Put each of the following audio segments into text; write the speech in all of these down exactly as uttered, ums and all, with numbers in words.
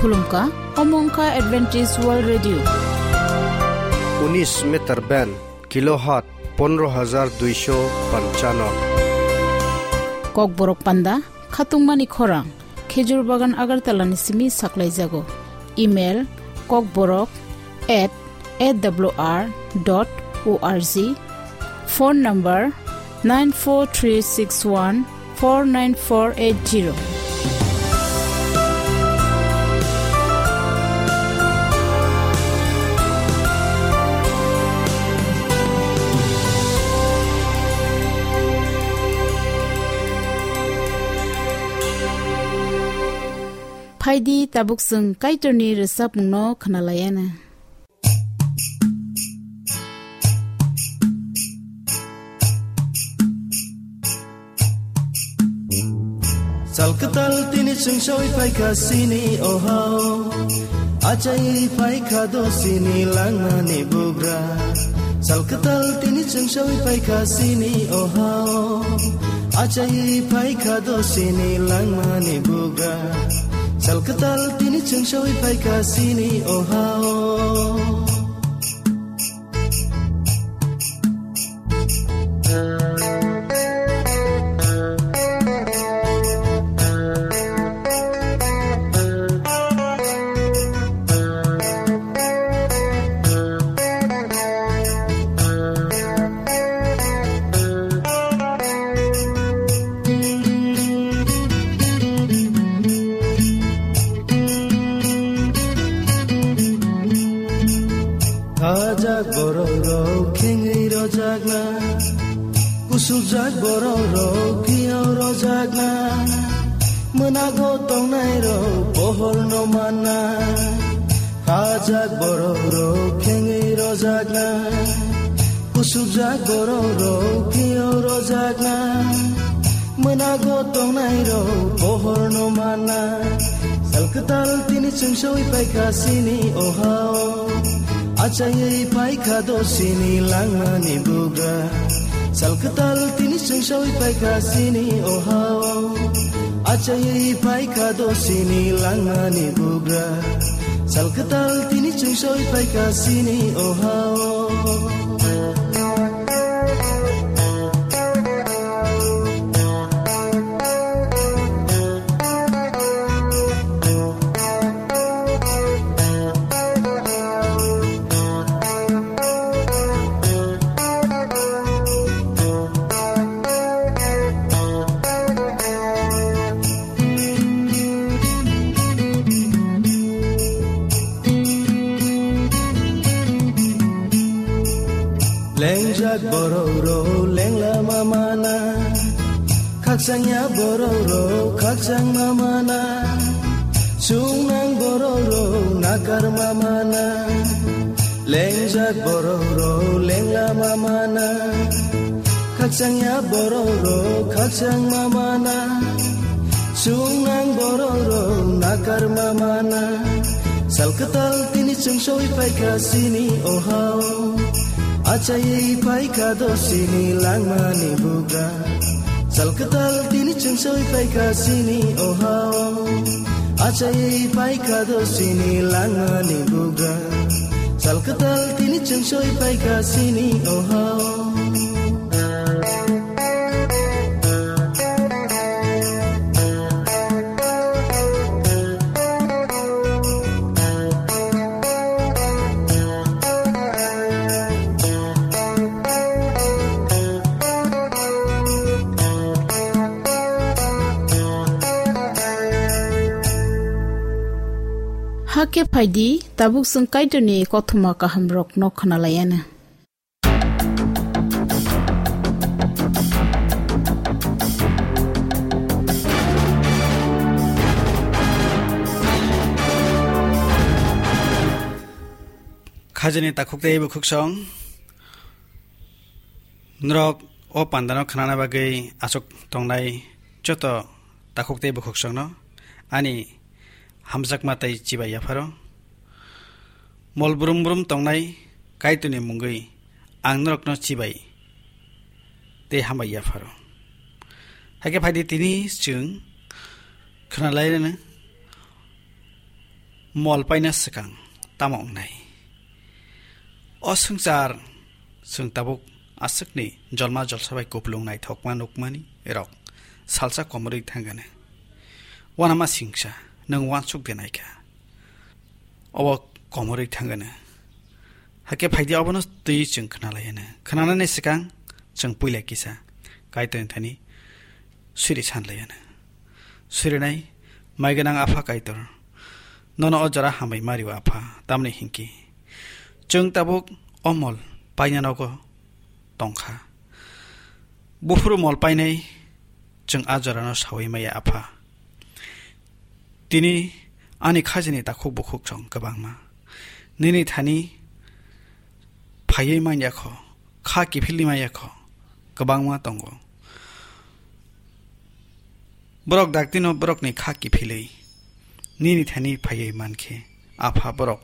Khulumkha, omo wngkha Adventist World Radio. Unis meter band, kilohertz pondro hajar duisho panchano. Kokborok panda, khatungmani khorang, Khejur Bagan Agartala ni simi saklaijago. Email, kokborok at A W R dot O R G. Phone number, nine four three six one four nine four eight zero. Phaidi, tabuk chwng Kaitorni rwchapmungno khwnalaiana. Sal kwtal tini chwng sawi phaikha sini o ha-o. Achai phaikha do sini langmani bugra. Sal kwtal tini chwng sawi phaikha sini o ha-o. Achai phaikha do sini langmani bugra. Sal kwtal tini chwng sawi phaikha sini o ha-o. Khajak borok rok khengwi rojakna, kusukjak borok rok phiyok rojakna, mwnago tongnai rok pohor no manna. Khajak borok rok khengwi rojakna, kusukjak borok rok phiyok rojakna, mwnago tongnai rok pohor no manna. Sal kwtal tini chwng sawi phaikha sini o ha-o. Achaiwi phaikha do sini langmani bugra. Sal kwtal tini chwng sawi phaikha sini o ha-o. Achaiwi phaikha do sini langmani bugra. Sal kwtal tini chwng sawi phaikha sini o ha-o. Lengjak borok rok lengla ma mana, khakchangya borok rok khakchang ma mana, chungnang borok rok nakar ma mana. Lengjak borok rok lengla ma mana, khakchangya borok rok khakchang ma mana, chungnang borok rok nakar ma mana. Sal kwtal tini chwng sawi phaikha sini o ha-o. Achaiwi phaikha do sini langmani bugra. Sal kwtal tini chwng sawi phaikha sini o ha-o. Achaiwi phaikha do sini langmani bugra. Sal kwtal tini chwng sawi phaikha sini o ha-o. Hakhe phaidi, tabuk chwng Kaitorni kothoma kahamrokno khwnalaiana. Khajani takhuk tei bukhuksong. Norok o pandano khnana bagwi aswk tongnai joto takhuk tei bukhuksongno ani hamjakma tei chibai yapharo. Mol brum brum tongnai Kaitorni mungwi ang norokno chibai tei hambai yapharo. Hakhe phaidi tini chwng khwnalainani Mol paina swkang tamo wngnai? O swngchar chwng tabuk aswkni jolma jolsa bai kupulung naithokma nukmani rok salsa komorwi thangano. Wanama singsa, nwng wansuk de naikha. Obo komorwi thangano. Hakhe phaidi obono twi chwng khwnalaiano. Khwnanani swkang chwng puila kisa Kaitorni thani siri sanlaiano. Sirinai mai gwnang Apha Kaitor, nono o jora hambai mario Apha, tamni hinkhe chwng tabuk o mol paina nogo tongkha. Buphuru mol painai chwng a jorano saui maya Apha. Tini ani khajani takhuk bukhuk chwng kwbangma. Nini thani phaiwi manya kho, kha kiphilwi manya kho, kwbangma tongo. Borok daktino borokni kha kiphilwi nini thani phaiwi mankhe, Apha, borok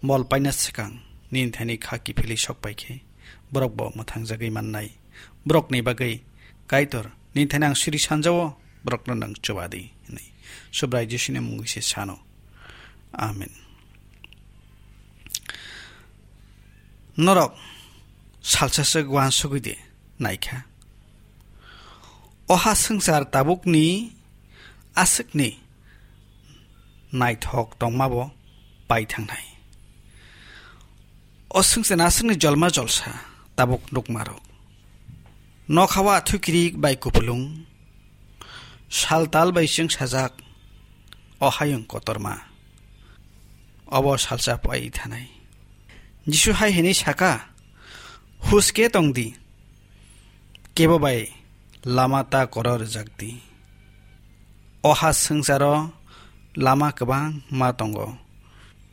mol paina swkang nini thani kha kiphilwi sok paikhe, borokbo mwthangjagwi mannai. Borokni bagwi, Kaitor, nini thani ang siri sanjao, borokno nwng chubadi, hwnwi Subrai Jisuni mungwi se sano. Amen. Norok salsa swk uansugwi de naikha. O ha swngchar tabukni aswkni naithok tongmabo pai thangnai. O swngchar aswkni jolma jolsa tabuk nukmarok. Nokha o athukiri bai kupulung, sal tal bai chwng sajak, o hayung kotorma. Obo salsa pai thanai. Jisu hai hwnwi saka, "Huske tong di, kebo bai lama ta koro rwjak di." O ha swngcharo lama kwbangma tongo.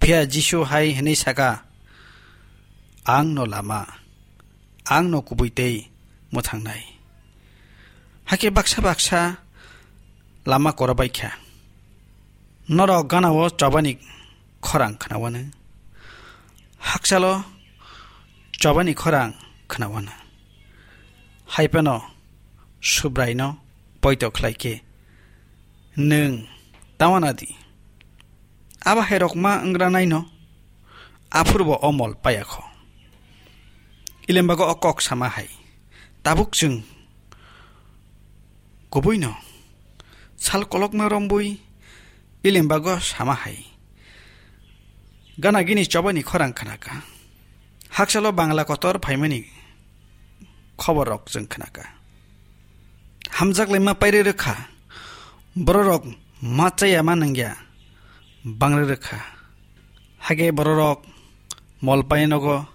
Phiya Jisu hai hwnwi saka, "Ang no lama, ang no kubui tei mwthangnai." Hakhe baksa baksa lama korobai kha. Norok ganao chobani khorang khnawano. Hakchalo chobani khorang khnawano. Hai phano Subraino poito khlai khe, "Nwng ta wana di." Abo hai rok ma wngranai no, aphuru bo o mol paya kho. Ilembago o kok sama hai, tabuk chwng kubui no sal kolokma rombui Ilembago sama hai, gana gini chobani khorang khnaka. Hakchalo Bangla kotor phaimani khobor rok chwng khnaka. Hamjak laima pairi rwkha, bororok ma chaya ma nangya bangri rwkha. Hake bororok mol painogo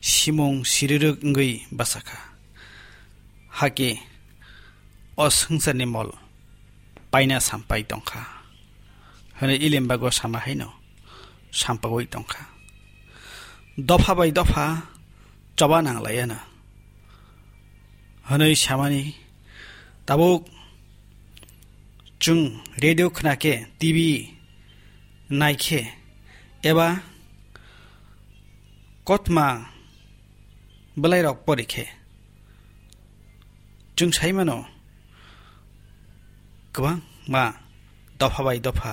simung sirirwk wngwi bachakha. Hake o swngcharni mol paina sampai tongkha, hwnwi Ilembago sama haino sampagwi tongkha. Dopha bai dopha choba nanglaiano hwnwi samani tabuk chwng radio khna khe, T V nai khe, eba kotma bwlairok pori khe, chwng sai mano, kwbangma dopha bai dopha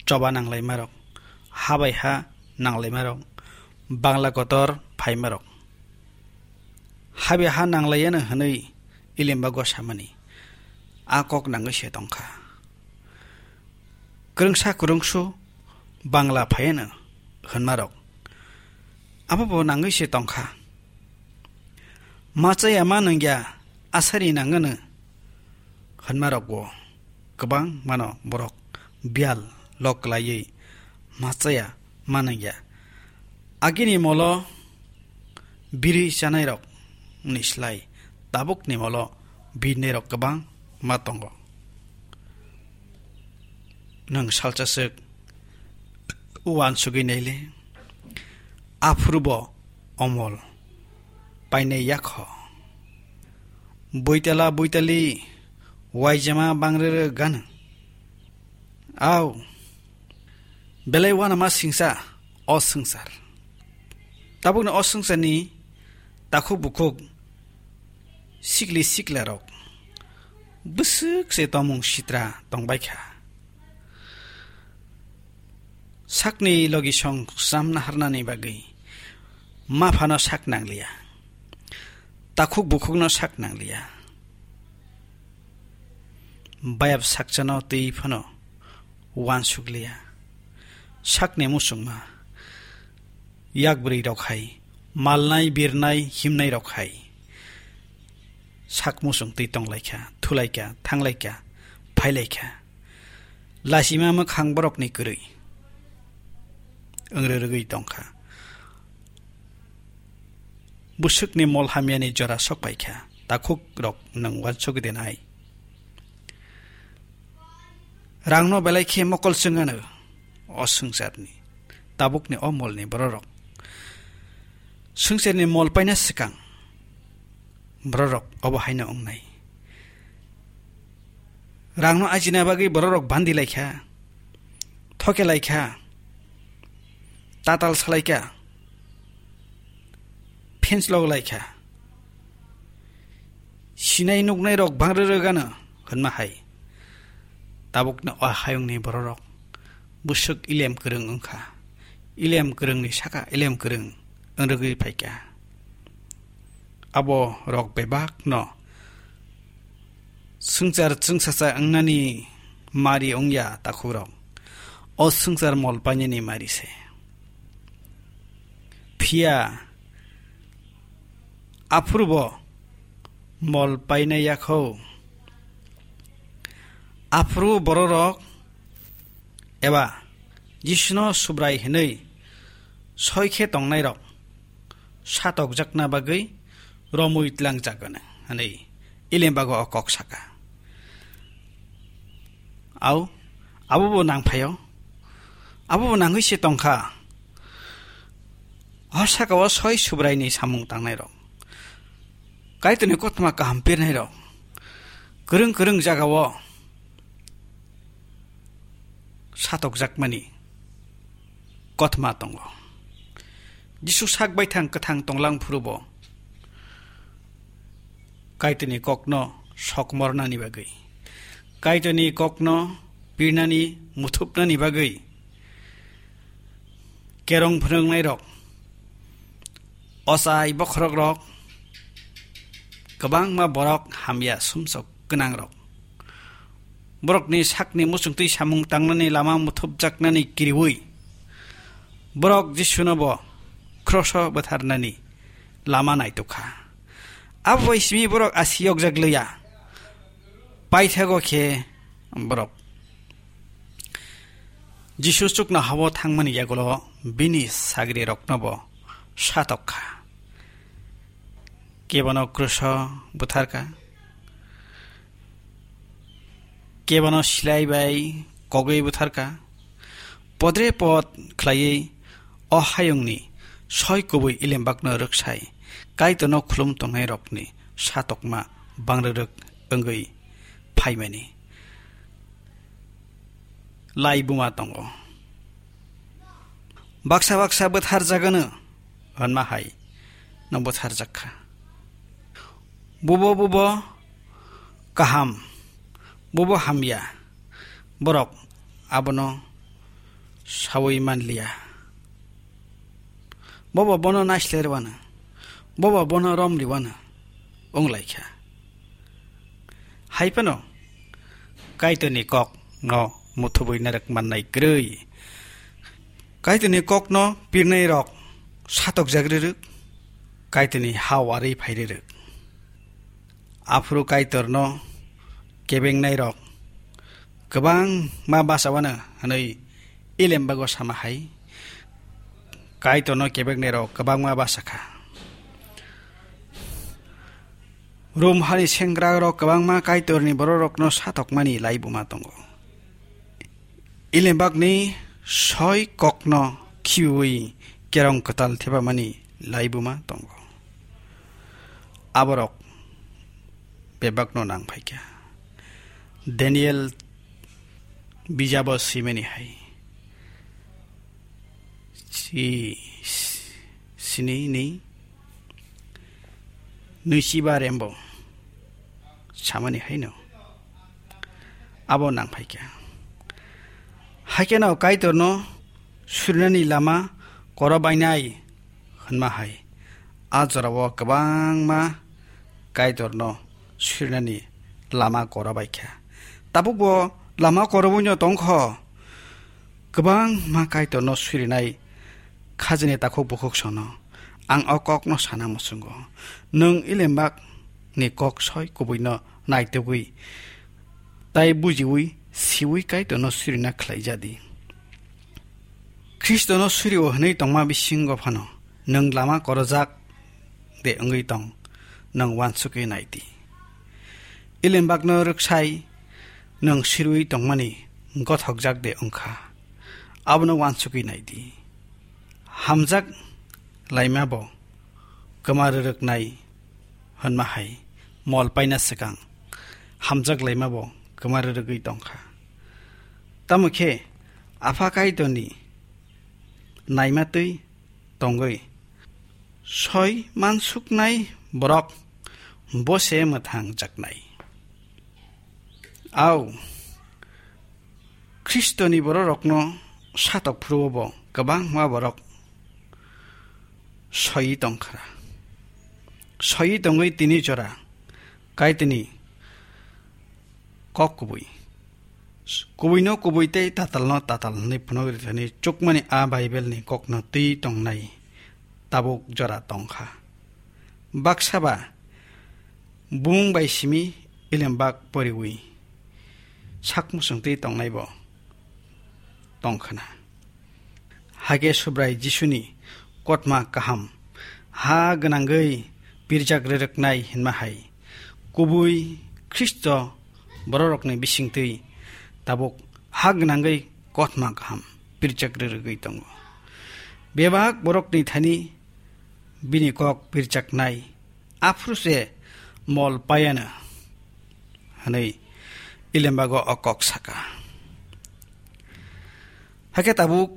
choba nanglaimarok, ha bai ha nanglaimarok, Bangla kotor phaimarok. Ha bai ha nanglaiano hwnwi Ilembago samani a kok nangwi se tongkha. Kwrwngsa kwrwngsu Bangla phaiano hwnmarok abo bo nangwi se tongkha. Ma chaya ma nangya asari nangano hwnmarok bo kwbang mano borok biyal lok kwlaiwi ma chaya ma nangya. Agini molo biri chanairok ni slai tabukni molo birnairok kwbang ma tongo. Nwng salsa swk uansugwi naile, aphuru bo omol painai yakho. Buitala buitali waijama bangrere gano. Au, belai wanama singsa o swngchar. Tabukni o swngcharni takhuk bukhuk sikli siklarok bwswk se tongmung sitra tongbaikha. Sakni logisong swnam naharnani bagwi ma phano sak nangliya, takhuk bukhukno sak nangliya, bayap sakchano twi phano uansukliya. Sakni muchungma yak bwrwi rok hai, malnai birnai himnai rok hai sak muchung twi tonglaikha, thulaikha, thanglaikha, phailaikha. Lasima mwkhang borokni kwrwi wngri rwgwi tongkha. Bwswkni mol hamyani jora sokpaikha, takhuk rok nwng uansukdi nai. Rangno belai khe mokol chwng ano o swngcharni, tabukni o molni bororok. Swngcharni mol paina swkang bororok obo haino wngnai. Rangno ajina bagwi bororok bandi laikha, thoke laikha, tatal salaikha, phenslok laikha. Sinai nuknai rok bang rwrwgano hwnma hai. Tabukno o hayungni bororok bwswk ilem kwrwng wngkha. Ilem kwrwngni saka ilem kwrwng wngwi phaikha. Abo rok bebakno swngchar chwngsacha wngnani mari wngya takhukrok. O swngchar mol painani mari se. Phiya aphuru bo mol paina yakho. Aphuru bororok eba Jisuno Subrai hwnwi soi khe tongnairok satokjakna bagwi romwi tlangjak hwnwi Ilembago o kok saka. Au, abo bo nang phaio. Abo bo nangwi se tongkha. O saka o soi Subraini samung tangnairok, Kaitorni kothoma kaham pirnairok, kwrwng kwrwng jagao satokjakmani kothoma tongo. Jisu sak baithang kwthang tonglang phuru bo Kaitorni kokno sokmornani bagwi, Kaitorni kokno pirnani, muthupnani bagwi kerong phwrwngnairok, ochai bokhorokrok, kwbangma borok hamya sumsok gwnangrok, borokni sakni muchungtwi samung tangnani lama muthupjaknani kiriui, borok Jisuno bo kroso bwtharnani lama naitukha. Abo bai simi borok asi yokjak liya. Paithago khe borok Jisu chukno habo thangmani yagulo bini sagrirokno bo satok kha. Kebono kroso bwtharkha, kebono silai bai kogwi bwtharkha. Podre pod khlaiwi o hayungni soi kubui Ilembakno rwksai Kaitorno khulum tongnairokni satokma bangrwrwk wngwi phaimani lai buma tongo. Baksa baksa bwtharjagano hwnma hai no bwtharjak kha. Bubo bubo kaham, bubo hamya, borok abono saui manliya. Bobo bono naislerwano, bobo bono romliwano wnglaikha. Hai phano Kaitorni kokno muthubui narwk mannai kwrwi. Kaitorni kokno pirnairok satokjak rwrwk, Kaitorni ha warwi phai rwrwk. Aphuru Kaitorno kebengnairok kwbangma bachawano hwnwi Ilembago sama hai. Kaitorno kebengnairok kwbangma bachakha. Rom hani sengkrakrok kwbangma Kaitorni bororokno satokmani laibuma tongo. Ilembakni soi kokno khibiui kerong kwtal thepamani laibuma tongo. Aborok bebakno nang phaikha. Daniel bijabo simani hai. Si, sini ni nuisiba rembo samani haino abo nang phaikha. Haikhe no Kaitorno surinani lama korobainai hwnma hai. A jorao kwbangma Kaitorno surinani lama korobaikha. Tabukbo lama korobuino tongkho. Kwbangma Kaitorno surinai khajini takhuk bukhuk sono ang o kokno sana muchungo. Nwng Ilembakni kok soi kubuino naitugwi tai bujiwi siwi Kaitorno surina khlaijadi. Khristono surio hwnwi tongma bisingo phano nwng lama korojak de wngwi tong, nwng uansukwi nai di. Ilembakno rwksai nwng sirwi tongmani gothokjak de wngkha, abono uansukwi nai di. Hamjak laima bo kwma rwrwknai hwnma hai mol paina swkang hamjak laima bo kwma rwrwgwi tongkha. Tamo khe Apha Kaitorni naima twi tongwi soi mansuknai borok bo se mwthang jaknai. Au, Khristoni bororokno satok phuru bo kwbangma borok soiwi tongkha. Soiwi tongwi tini jora Kaitorni kok kubui. Kubuino kubui tei tatalno tatal hwnwi phunuk rithani chukmani a Bible ni kokno twi tongnai tabuk jora tongkha. Baksa ba bumung bai simi Ilembak poriwi sak muchung twi tongnai bo tongkhana. Hakhe Subrai Jisuni kotma kaham ha gwnangwi pirjak rwrwknai hwnma hai kubui Khristo bororokni bisingtwi tabuk ha gwnangwi kotma kaham pirjak rwrwgwi tongo. Bebak borokni thani bini kok pirjaknai aphuru se mol paiano, hwnwi Ilembago o kok saka. Hakhe tabuk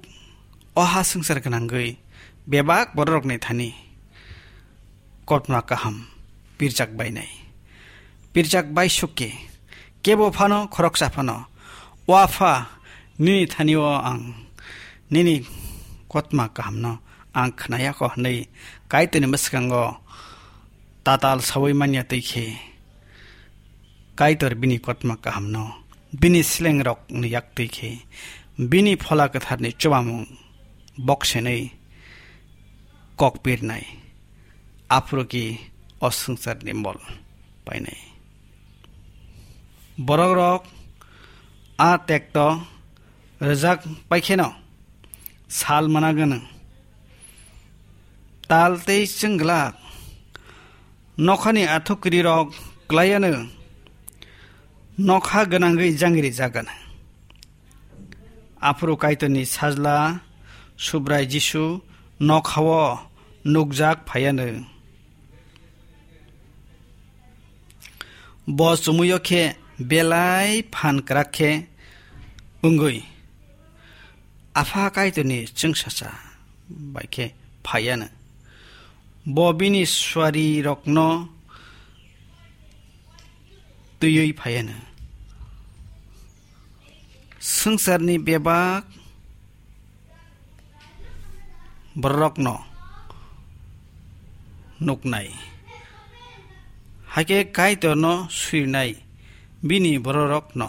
o ha swngchar gwnangwi bebak bororokni thani kotma kaham pirjak bainai. Pirjak baisuk khe kebo phano khoroksa phano, "O Apha, nini thani-o ang nini kotma kahamno ang khnayakho," hwnwi Kaitorni mwskango tatal saui manya twi khe, Kaitor bini kotma kahamno bini slengrokni yak twi khe, bini Phola Kwtharni chubamung boksenwi kok pirnai, aphuru ki o swngcharni mol painai. Borokrok a tekto rwjak paikheno sal mana gwnang. Tal tei chwng glak nokhani athukrirok klaiano nokha gwnangwi jangri jagano. Aphuru Kaitorni sajla Subrai Jisu nokhao nukjak phaiano. Bo chumuyo khe belai phan kwrak khe wngwi Apha Kaitorni chwngsacha bai khe phaiano. Bo bini suarirokno twiwi phaiano. Swngcharni bebak bororokno nuknai, hakhe Kaitorno suinai bini bororokno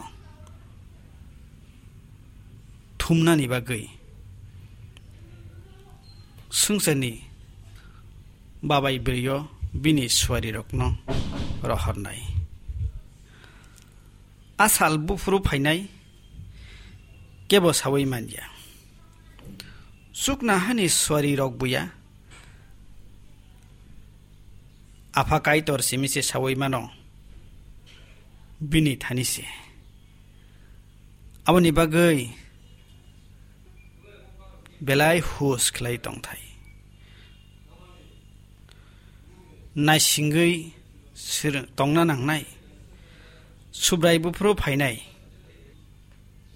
thumnani bagwi swngcharni babai bwrwiyo bini suarirokno rohornai. A sal buphuru phainai kebo saui manya. Chuknohani suarirok buya Apha Kaitor simi se saui mano, bini thani se. Aboni bagwi belai hus khlai tongthai. Naisingwi sir-, tongna nangnai. Subrai buphuru phainai.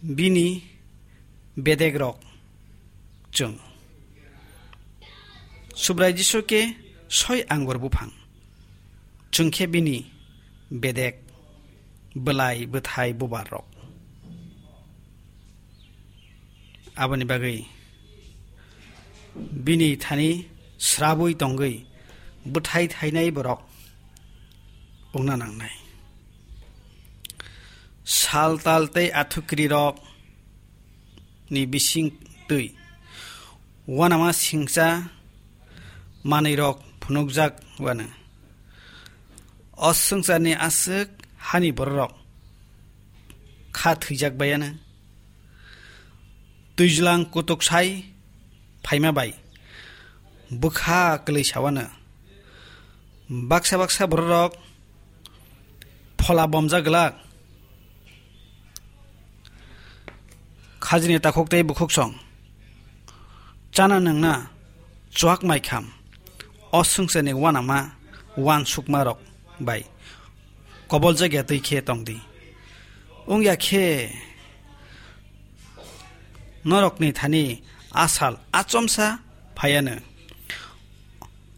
Bini bedekrok chwng. Subrai Jisu khe soi angur buphang. Chwng khe bini bedek, bwlai, bwthai, bubar rok. Aboni bagwi bini thani srabwi tongwi bwthai thainai borok wngna nangnai. Sal tal tei athukiri rok ni bising twi uanama singcha manwi rok phunukjak uanw. O swngcharni aswk hani bororok kha thwijak baiyanw. Twijlang kutuk sai phaima bai bwkha kwlwi sawanw. Baksa baksa bororok phola bomjak glak. Khajini takhuk tei bukhuksong chana nwngna chuak maikham, o swngcharni uanama uansukma rok bai koboljak ya twi khe tongdi. Wngya khe norokni thani asal achomsa phaiyanw.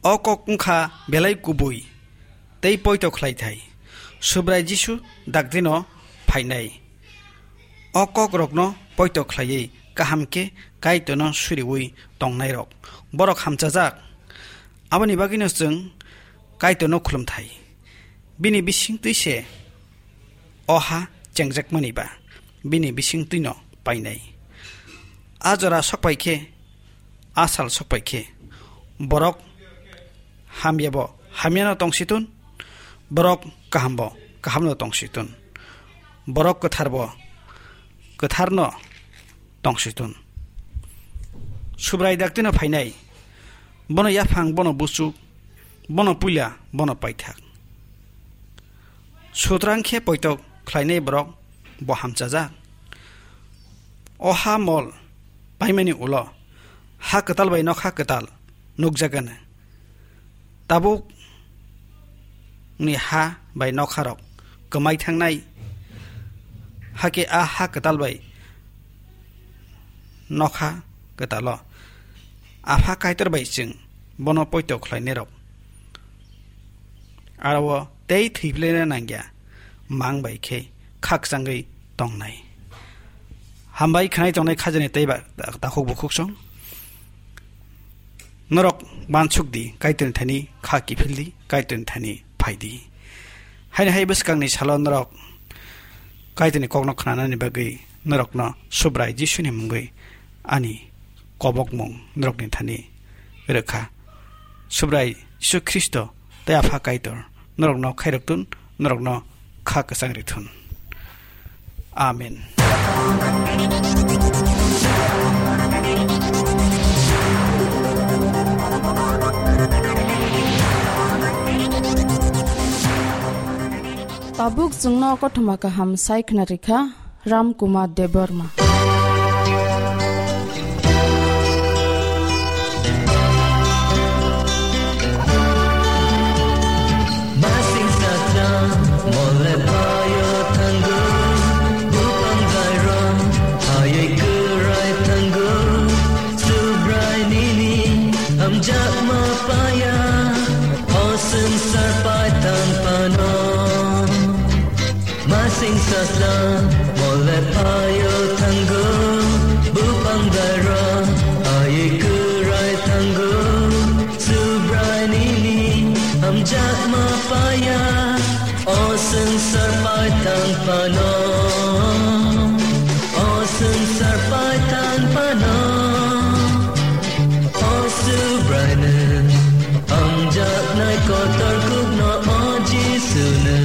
O kok wngkha belai kubui tei poito khlaithai. Subrai Jisu dakdino phainai. O kokrokno poito khlaiwi kaham khe Kaitorno suriwi tongnairok, borok hamchajak. Aboni bagwino chwng Kaitorno khulumthai. Bini bisingtwi se o ha chengjakmani ba bini bisingtwino painai. A jora sokpai khe, a sal sokpai khe, borok hamyabo hamyano tongsitun, borok kahambo kahamno tongsitun, borok kwtharbo kwtharno tongsitun. Subrai daktino phainai, bono yaphang, bono buchuk, bono puila, bono paithak. Sutrang khe poito khlainai borok bo hamchajak. O ha mol paimani ulo ha kwtal bai nokha kwtal nukjagano. Tabuk ni ha bai nokha rok kwmai thangnai, hakhe a ha kwtal bai nokha kwtalo Apha Kaitor bai chwng bono poito khlainairok aro tei thwiplaina nangya mang bai khe khakchangwi tongnai. Hambai khwnai tongnai khajani tei ba takhuk bukhuk song. Norok bansuk di, Kaitorni thani kha kiphil di, Kaitorni thani phai di. Haini hai bwskangni salo norok Kaitorni kokno khnanani bagwi norokno Subrai Jisuni mungwi ani kobokmung norokni thani rwkha. Subrai Jisu Khristo tei Apha Kaitor norokno khairok tun, norokno kha kwchang ri thun. Amen. Tabuk chwngno kothoma kaham sai khna rikha Ram Kumar Debbarma. Masing satra mole payo thango, bupang gairong hayai kurai thango, Subrai nini hamjakma paya, o swngchar paithang phano. Masing satra mole payo thango, bupang gairong hayai kurai thango, Subrai nini hamjakma paya, o swngchar paithang phano, o swngchar paithang phano. O Subraino, hamjaknai kotor kukno, o Jisuno,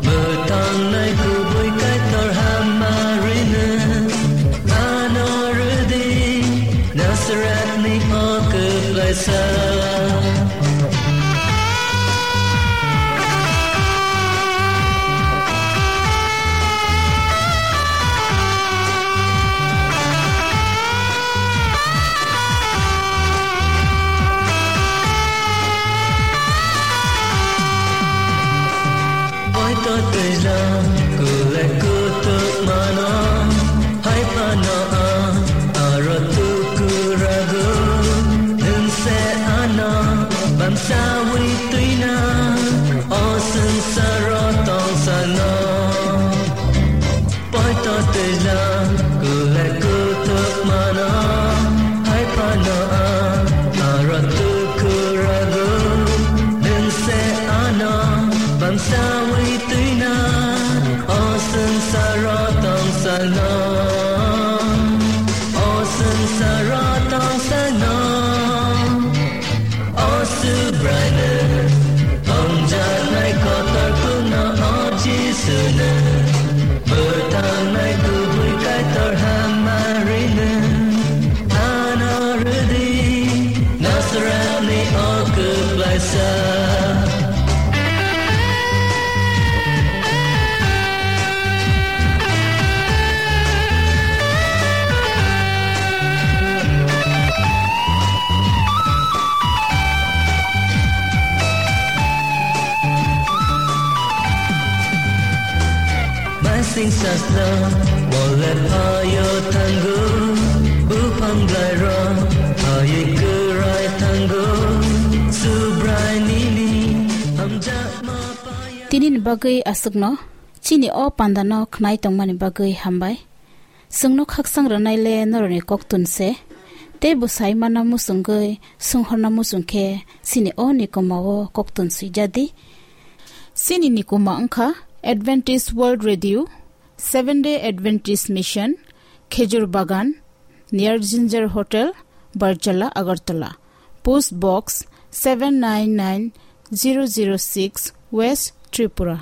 mwthangnai kubui Kaitor Hamarino, ano rwdi Nazarethni o kwplaisa. Poito twijlang kule kutuk mano, hai phano ang aro tukurago, nwng se ano bamsawi twina, o swngcharo tongsano. Poito twijlang kule kutuk mano, hai phano ang Sawi twina, o swngcharo tongsa no, o swngcharo tongsa no, o Subraino, tongjaknai kotor kuno o Jisuno, bwthangnai kubui Kaitor hamari no. Ano rwdi, Nasarani o kwplaisa. Masing sasno mole phayo thango, buphang blairo phayi kwrai thango, Subrai nini hamjakma paya. Tini ni bagwi aswkno, chini o panda no khnai tongmani bagwi hambai. Chwngno khakchang rwnai le norokni koktun se, tei bwsai mana muchungwi swnghorna muchung khe chini o nikoma o koktun swijadi. Chini nikoma wngkha Adventist World Radio, Seven Day Adventist Mission, Khejur Bagan, near Ginger Hotel, Barjala, Agartala. Post Box seven nine nine zero zero six, West Tripura.